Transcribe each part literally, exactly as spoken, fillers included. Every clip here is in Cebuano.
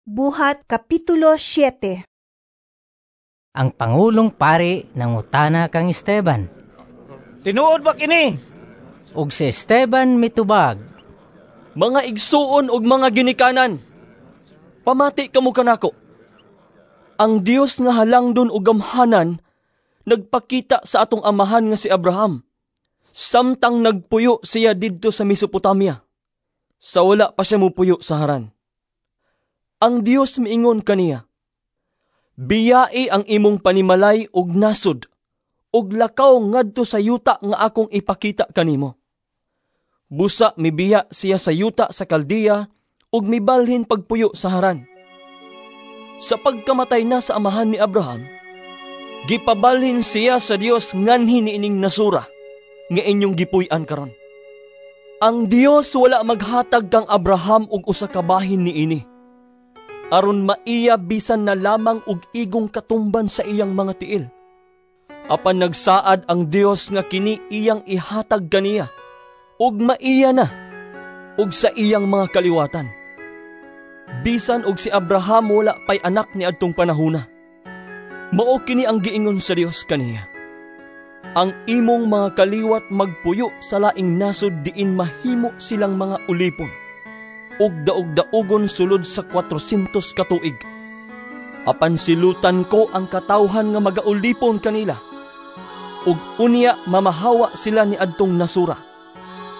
Buhat Kapitulo siyete. Ang pangulong pari nangutana kang Esteban. Tinuod ba kini? Ug si Esteban mitubag. Mga igsuon ug mga ginikanan, pamati kamo kanako. Ang Dios nga halangdon ug gamhanan nagpakita sa atong amahan nga si Abraham samtang nagpuyo siya didto sa Mesopotamia, sa wala pa siya mupuyo sa Haran. Ang Dios miingon kaniya, "Biyai ang imong panimalay ug nasod, ug lakaw ngadto sa yuta nga akong ipakita kanimo." Busa mibiya siya sa yuta sa Kaldea ug mibalhin pagpuyo sa Haran. Sa pagkamatay na sa amahan ni Abraham, gipabalhin siya sa Dios nganhi niining nasura nga inyong gipuy-an karon. Ang Dios wala maghatag kang Abraham og usa ka bahin niini, aron maiya bisan na lamang og igong katumban sa iyang mga tiil. Apan nagsaad ang Dios nga kini iyang ihatag kaniya, ug maiya na, ug sa iyang mga kaliwatan. Bisan og si Abraham wala pay anak niadtong panahona. Mao kini ang giingon sa Dios kaniya, "Ang imong mga kaliwat magpuyo sa laing nasod diin mahimo silang mga ulipon, ug daog-daugon sulod sa kuwatrosentos ka tuig. Apan silutan ko ang katawhan nga magaulipon kanila, ug unya mamahawa sila niadtong nasura,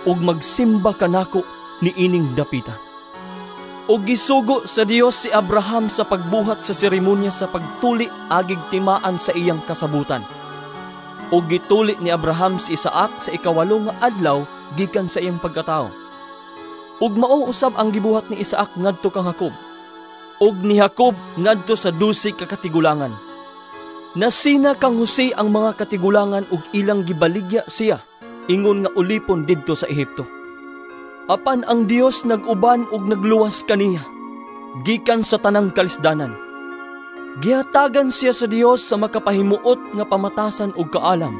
ug magsimba kanako niining dapita." Ug gisugo sa Dios si Abraham sa pagbuhat sa seremonya sa pagtuli agig timaan sa iyang kasabutan. Ug gituli ni Abraham si Isaac sa ikawalo nga adlaw gikan sa iyang pagkatawo. Ug mao usab ang gibuhat ni Isaac ngadto kang Jacob, ug ni Jacob ngadto sa dose ka katigulangan. Nasina kang Jose ang mga katigulangan ug ilang gibaligya siya ingon nga ulipon didto sa Ehipto. Apan ang Dios nag-uban ug nagluwas kaniya gikan sa tanang kalisdanan. Gihatagan siya sa Dios sa makapahimuot nga pamatasan ug kaalam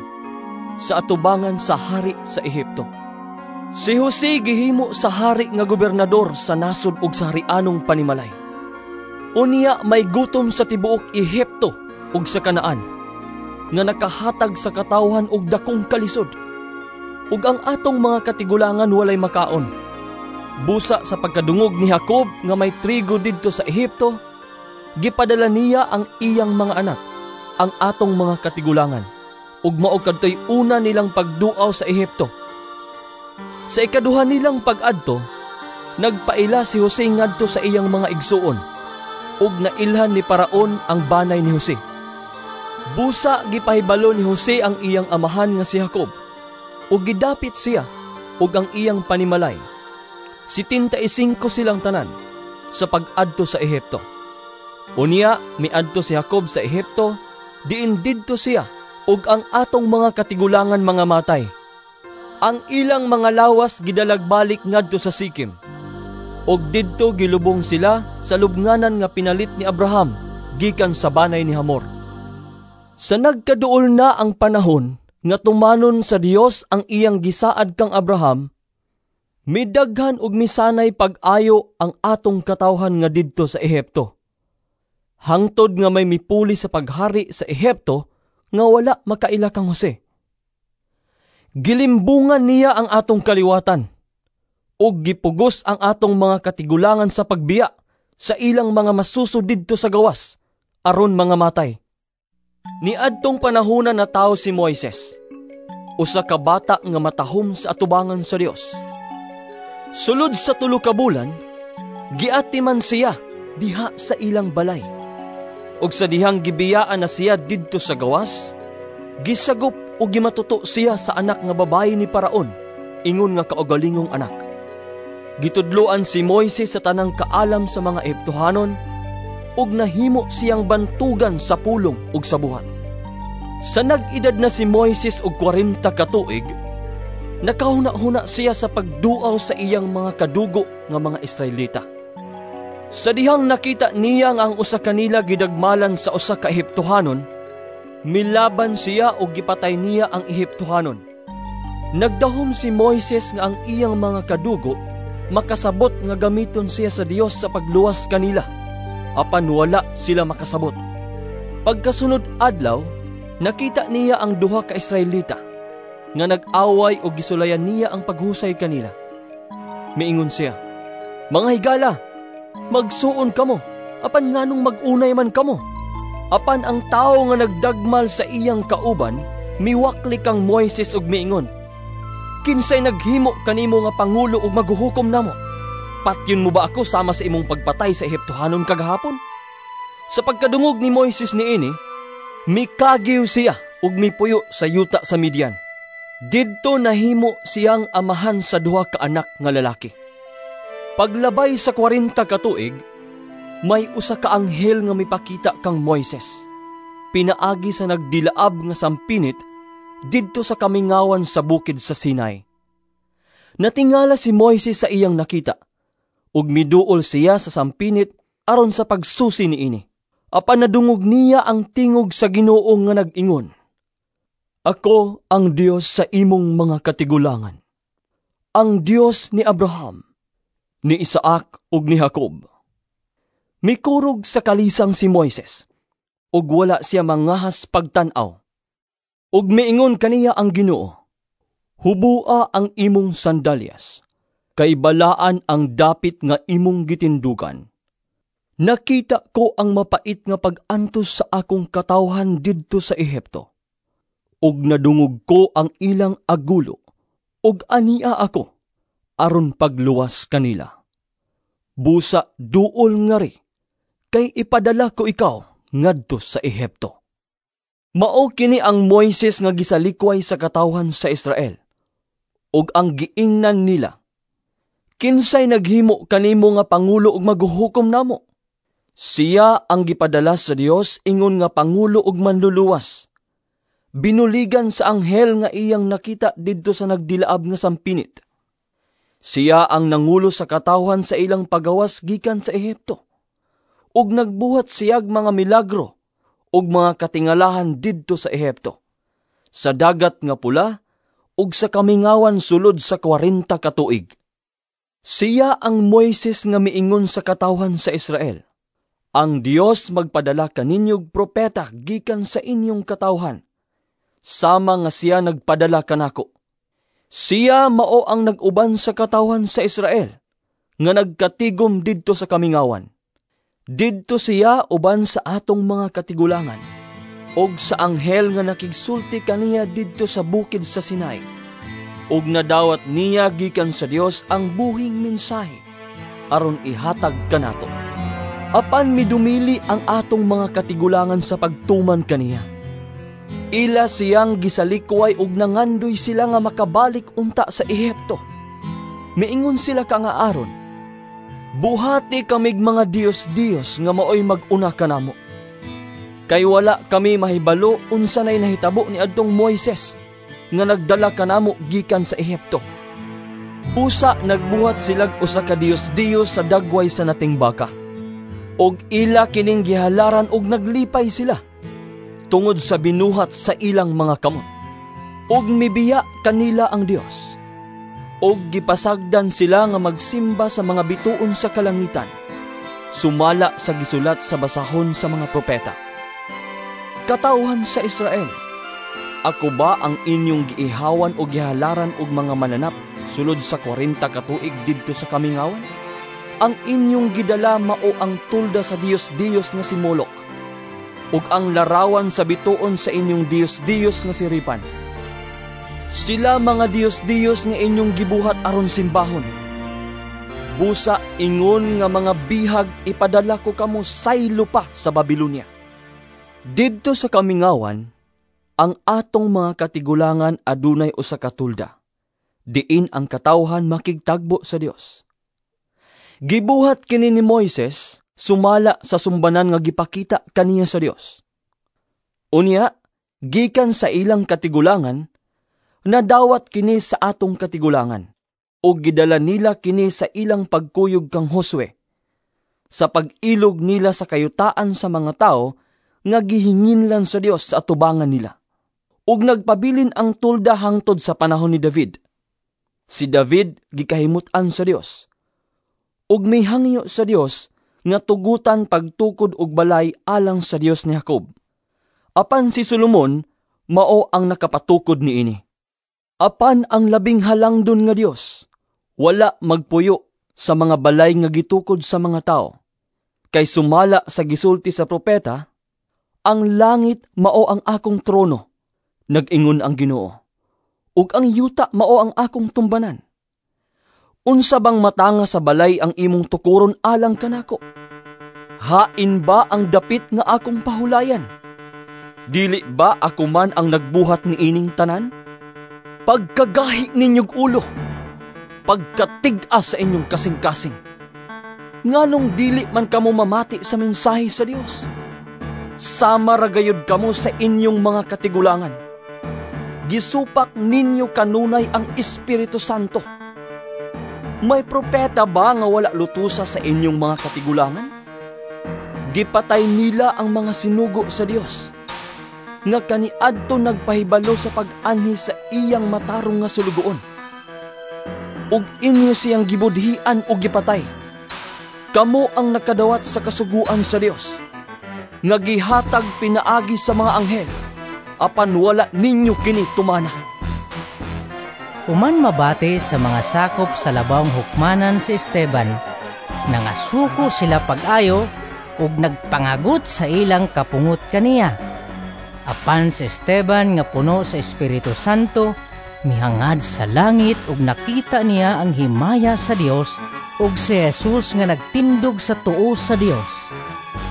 sa atubangan sa hari sa Ehipto. Si Jose gihimo sa hari nga gobernador sa nasod ug sa harianong panimalay. Unya may gutom sa tibuok Ehipto ug sa Kanaan, nga nakahatag sa katawhan og dakong kalisod. Ug ang atong mga katigulangan walay makaon. Busa sa pagkadungog ni Jacob nga may trigo didto sa Ehipto, gipadala niya ang iyang mga anak, ang atong mga katigulangan, ug mao kadtoy una nilang pagduaw sa Ehipto. Sa ikaduha nilang pag-adto, nagpaila si Jose ngadto sa iyang mga igsuon, ug nailhan ni Paraon ang banay ni Jose. Busa gipahibalo ni Jose ang iyang amahan nga si Jacob, ug gidapit siya ug ang iyang panimalay. Sitinta y singko silang tanan sa pag-adto sa Ehipto. Unya miadto si Jacob sa Ehipto, diin didto siya ug ang atong mga katigulangan mga matay. Ang ilang mga lawas gidalagbalik ngadto sa Sikem, ug didto gilubong sila sa lubnganan nga pinalit ni Abraham gikan sa banay ni Hamor. Sa nagkaduol na ang panahon nga tumanon sa Dios ang iyang gisaad kang Abraham, midaghan ug misanay pag-ayo ang atong katawhan nga didto sa Ehipto, hangtod nga may mipuli sa paghari sa Ehipto nga wala makaila kang Jose. Gilimbungan niya ang atong kaliwatan, ug gipugos ang atong mga katigulangan sa pagbiya sa ilang mga masuso didto sa gawas, aron mga matay. Niadtong panahona natawo si Moises, usa ka bata nga matahom sa atubangan sa Dios. Sulod sa tulo ka bulan, giatiman siya diha sa ilang balay. Ug sa dihang gibiyaan na siya didto sa gawas, gisagop ug gimatuto siya sa anak nga babayi ni Paraon, ingon nga kaugalingong anak. Gitudloan si Moises sa tanang kaalam sa mga Ehiptohanon, ug nahimo siyang bantugan sa pulong ug sa buhat. Sa nag-edad na si Moises og kwarenta ka tuig, nakahuna-huna siya sa pagduaw sa iyang mga kadugo nga mga Israelita. Sa dihang nakita niya nga ang usa kanila gidagmalan sa usa ka Ehiptohanon, milaban siya ug gipatay niya ang Ehiptohanon. Nagdahom si Moises nga ang iyang mga kadugo makasabot nga gamiton siya sa Dios sa pagluwas kanila. Apan wala sila makasabot. Pagkasunod adlaw, nakita niya ang duha ka Israelita nga nag-away ug gisulayan niya ang paghusay kanila. Miingon siya, "Mga higala, magsuon kamo, apan nganong mag-unay man kamo?" Apan ang tawo nga nagdagmal sa iyang kauban, miwakli kang Moises ug miingon, "Kinsay naghimo kanimo nga pangulo ug maghuhukom namo? Patyon mo ba ako sama sa imong pagpatay sa Ehiptohanon kagahapon?" Sa pagkadungog ni Moises niini, mikagiw siya ug mipuyo sa yuta sa Midian. Didto nahimo siyang amahan sa duha ka anak nga lalaki. Paglabay sa kwarenta ka tuig, may usa ka anghel nga mipakita kang Moises. Pinaagi sa nagdilaab nga sampinit didto sa kamingawan sa bukid sa Sinai. Natingala si Moises sa iyang nakita, ug miduol siya sa sampinit aron sa pagsusi niini. Apan nadungog niya ang tingog sa Ginoo nga nag-ingon, "Ako ang Dios sa imong mga katigulangan, ang Dios ni Abraham, ni Isaac ug ni Jacob." Mikurog sa kalisang si Moises, ug wala siya mangahas pagtan-aw. Ug miingon kaniya ang Ginoo, "Hubua ang imong sandalyas, kay balaan ang dapit nga imong gitindugan. Nakita ko ang mapait nga pag-antos sa akong katawhan didto sa Ehipto, ug nadungog ko ang ilang agulo, ug ania ako aron pagluwas kanila. Busa duol ngari, kay ipadala ko ikaw ngadto sa Ehipto." Mao kini ang Moises nga gisalikway sa katawhan sa Israel, ug ang giingnan nila, "Kinsay naghimo kanimo nga pangulo ug maghuhukom namo?" Siya ang gipadala sa Dios ingon nga pangulo ug manluluwas. Binuligan sa anghel nga iyang nakita didto sa nagdilaab nga sampinit. Siya ang nangulo sa katawhan sa ilang pagawas gikan sa Ehipto. Ug nagbuhat siyag mga milagro ug mga katingalahan didto sa Ehipto, sa Dagat nga Pula ug sa kamingawan sulod sa kwarenta ka tuig. Siya ang Moises nga miingon sa katawhan sa Israel, "Ang Dios magpadala kaninyog propeta gikan sa inyong katawhan, sama nga siya nagpadala kanako. Siya mao ang nag-uban sa katawhan sa Israel, nga nagkatigom didto sa kamingawan. Didto siya uban sa atong mga katigulangan, og sa anghel nga nakigsulti kaniya didto sa bukid sa Sinai. Ug nadawat niya gikan sa Dios ang buhing mensahe, aron ihatag kanato. Apan midumili ang atong mga katigulangan sa pagtuman kaniya. Ila siyang gisalikway ug nangandoy sila nga makabalik unta sa Ehipto. Miingon sila kang Aaron, 'Buhati kamig mga Dios-Dios nga maoy mag-una kanamo. Kay wala kami mahibalo unsa nay nahitabo ni adtong Moises nga nagdala kanamo gikan sa Ehipto.' Usa nagbuhat silag usa ka Dios-Dios sa dagway sa nating baka. Og ila kining gihalaran og naglipay sila tungod sa binuhat sa ilang mga kamot. Ug mibiya kanila ang Dios. Og gipasagdan sila nga magsimba sa mga bituon sa kalangitan, sumala sa gisulat sa basahon sa mga propeta. Katawhan sa Israel, ako ba ang inyong giihawan o gihalaran og mga mananap sulod sa kwarenta ka tuig didto sa kamingawan? Ang inyong gidala mao ang tulda sa Dios-Dios nga si Molok, ug ang larawan sa bituon sa inyong Dios-Dios nga si Ripan. Sila mga Dios-Dios nga inyong gibuhat aron simbahon. Busa ingon nga mga bihag ipadala ko kamo saylo pa sa Babilonia." Didto sa kamingawan, ang atong mga katigulangan adunay usa ka tulda, diin ang katawhan makigtagbo sa Dios. Gibuhat kini ni Moises sumala sa sumbanan nga gipakita kaniya sa Dios. Unya, gikan sa ilang katigulangan, nadawat kini sa atong katigulangan, ug gidala nila kini sa ilang pagkuyog kang Josue, sa pag-ilog nila sa kayutaan sa mga tao nga gihinginlan sa Dios sa atubangan nila. Ug nagpabilin ang tulda hangtod sa panahon ni David. Si David gikahimut-an sa Dios, ug mihangyo sa Dios nga tugutan pagtukod og balay alang sa Dios ni Jacob. Apan si Solomon mao ang nakapatukod niini. Apan ang labing halangdon nga Dios wala magpuyo sa mga balay nga gitukod sa mga tao. Kay sumala sa gisulti sa propeta, ang langit mao ang akong trono, nag-ingon ang Ginoo, ug ang yuta mao ang akong tumbanan. Unsa bang matanga sa balay ang imong tukuron alang kanako? Hain ba ang dapit nga akong pahulayan? Dili ba ako man ang nagbuhat niining tanan? Pagkagahi ninyog ulo, pagkatig-as sa inyong kasing-kasing. Nganong dili man kamo mamati sa mensahe sa Dios? Sama ra gayud kamo sa inyong mga katigulangan. Gisupak ninyo kanunay ang Espiritu Santo. May propeta ba nga wala lutusa sa inyong mga katigulangan? Gipatay nila ang mga sinugo sa Dios, nga kaniadto nagpahibalo sa pag-anhi sa iyang matarong nga sulugoon. Ug inyo siyang gibudhian ug gipatay. Kamo ang nakadawat sa kasuguan sa Dios, nga gihatag pinaagi sa mga anghel, apan wala ninyo kini tumana. Human mabati sa mga sakop sa labawng hukmanan si Esteban, nangasuko sila pag-ayo ug nagpangagot sa ilang kapungot kaniya. Apan si Esteban nga puno sa Espiritu Santo, mihangad sa langit ug nakita niya ang himaya sa Dios ug si Jesus nga nagtindog sa tuo sa Dios.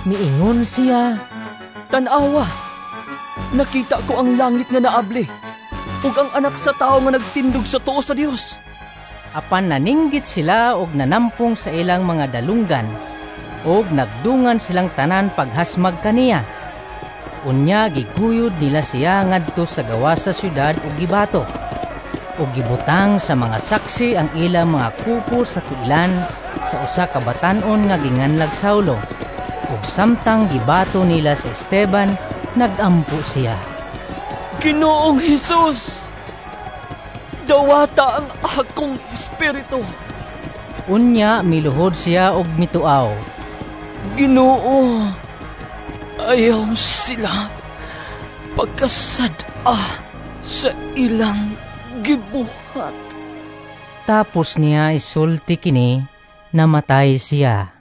Miingon siya, Tan-awa, nakita ko ang langit nga naabli, ug ang anak sa tawo nga nagtindog sa tuo sa Dios. Apan naninggit sila og nanampong sa ilang mga dalunggan, ug nagdungan silang tanan paghasmag kaniya. Unya giguyod nila siya ngadto sa gawas sa syudad ug gibato. Ug gibutang sa mga saksi ang ilang mga kupo sa tiilan sa usa ka batan-on nga ginganlag Saulo. Ug samtang gibato nila si Esteban, nagampo siya. Ginoong Hesus, dawata ang akong espiritu. Unya miluhod siya og mituaw. Ginoo, ayaw sila pagkasad-a sa ilang gibuhat. Tapos niya isulti kini, namatay siya.